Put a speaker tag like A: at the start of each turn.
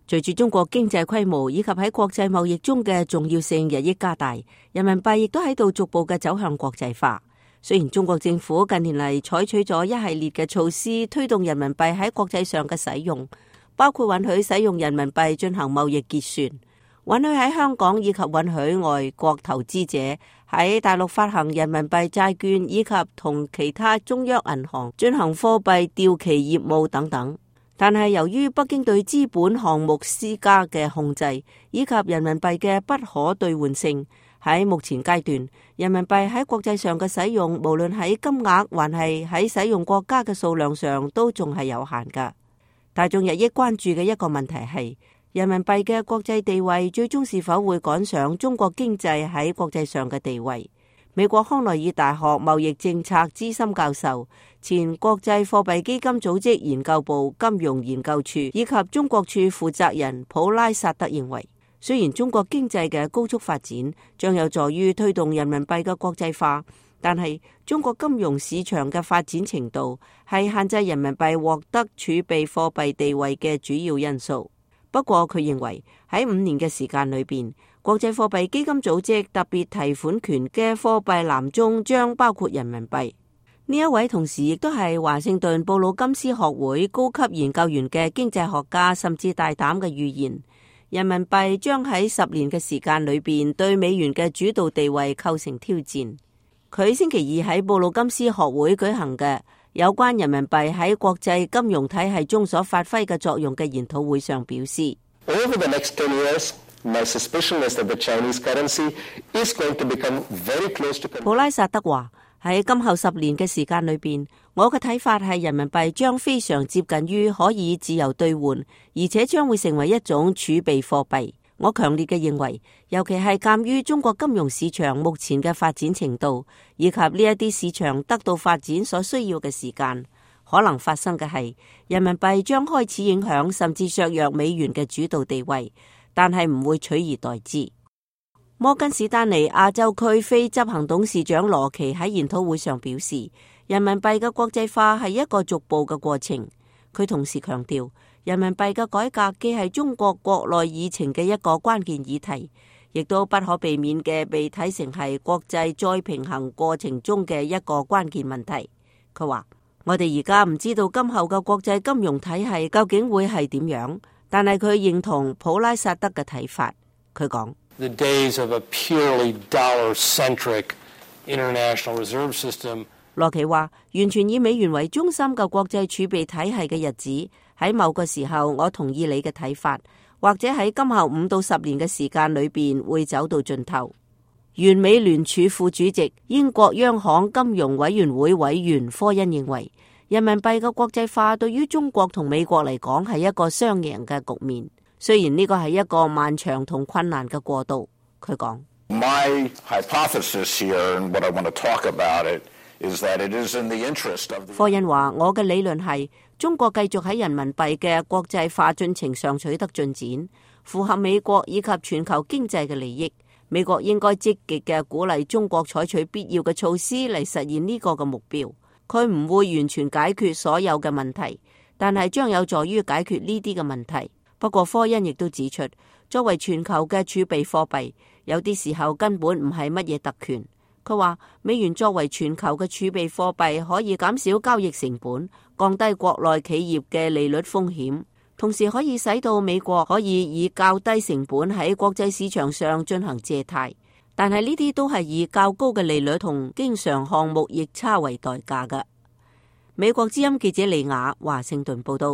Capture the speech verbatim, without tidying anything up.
A: 隨住中國經濟規模以及喺國際貿易中嘅重要性日益加大，人民幣亦都喺度逐步嘅走向國際化。雖然中國政府近年嚟採取咗一系列嘅措施推動人民幣喺國際上嘅使用，包括允許使用人民幣進行貿易結算，允許喺香港以及允許外國投資者喺大陸發行人民幣債券，以及同其他中央銀行進行貨幣掉期業務等等。但係由於北京對資本項目施加嘅控制，以及人民幣嘅不可兌換性，喺目前階段，人民幣喺國際上嘅使用，無論喺金額還係喺使用國家嘅數量上，都仲係有限㗎。大眾日益關注嘅一個問題係，人民幣嘅國際地位最終是否會趕上中國經濟喺國際上嘅地位？美國康奈爾大學貿易政策資深教授、前國際貨幣基金組織研究部金融研究處以及中國處負責人普拉薩德認為，雖然中國經濟嘅高速發展將有助於推動人民幣嘅國際化，但係中國金融市場嘅發展程度係限制人民幣獲得儲備貨幣地位嘅主要因素。不過佢認為喺五年嘅時間裏邊，國際貨幣基金組織特別提款權嘅貨幣籃中將包括人民幣。呢一位同時亦都係華盛頓布魯金斯學會高級研究員嘅經濟學家，甚至大膽嘅預言，人民幣將喺十年嘅時間裏邊對美元嘅主導地位構成挑戰。佢星期二喺布魯金斯學會舉行嘅有關人民幣喺國際金融體系中所發揮嘅作用嘅研討會上表示，
B: Over the next ten years, my suspicion is that the Chinese currency is going to become very close to...
A: 普拉薩德話，喺今後十年嘅時間裏邊，我嘅睇法係人民幣將非常接近於可以自由兌換，而且將會成為一種儲備貨幣。我強烈嘅認為，尤其係鑒於中國金融市場目前嘅發展程度，以及呢一啲市場得到發展所需要嘅時間，可能發生嘅係人民幣將開始影響甚至削弱美元嘅主導地位，但係唔會取而代之。摩根士丹利亞洲區非執行董事長羅奇喺研討會上表示，人民幣嘅國際化係一個逐步嘅過程。佢同時強調，人民幣嘅改革既係中國國內議程嘅一個關鍵議題，亦都不可避免嘅被睇成係國際再平衡過程中嘅一個關鍵問題。佢話，我哋而家唔知道今後嘅國際金融體系究竟會係點樣，但係佢認同普拉薩德嘅睇法。佢講
C: ：The days of a purely dollar-centric international reserve system。
A: 羅奇話，完全以美元為中心嘅國際儲備體系嘅日子，喺某個時候，我同意你嘅睇法，或者喺今後五到十年嘅時間裏邊會走到盡頭。原美聯儲副主席、英國央行金融委員會委員科恩認為，人民幣嘅國際化對於中國同美國嚟講係一個雙贏嘅局面。雖然呢個係一個漫長同困難嘅過渡，佢講。
D: My hypothesis here and what I want to talk about it is that it is in the interest of the...
A: 科恩話：我嘅理論係中國繼續喺人民幣嘅國際化進程上取得進展，符合美國以及全球經濟嘅利益。美國應該積極嘅鼓勵中國採取必要嘅措施嚟實現呢個嘅目標。佢唔會完全解決所有嘅問題，但係將有助於解決呢啲嘅問題。不過科恩亦都指出，作為全球嘅儲備貨幣，有啲時候根本唔係乜嘢特權。佢話美元作為全球嘅儲備貨幣，可以減少交易成本，降低國內企業嘅利率風險，同時可以使到美國可以以較低成本喺國際市場上進行借貸。但係呢啲都係以較高嘅利率同經常項目逆差為代價㗎。美國之音記者李雅華盛頓報道。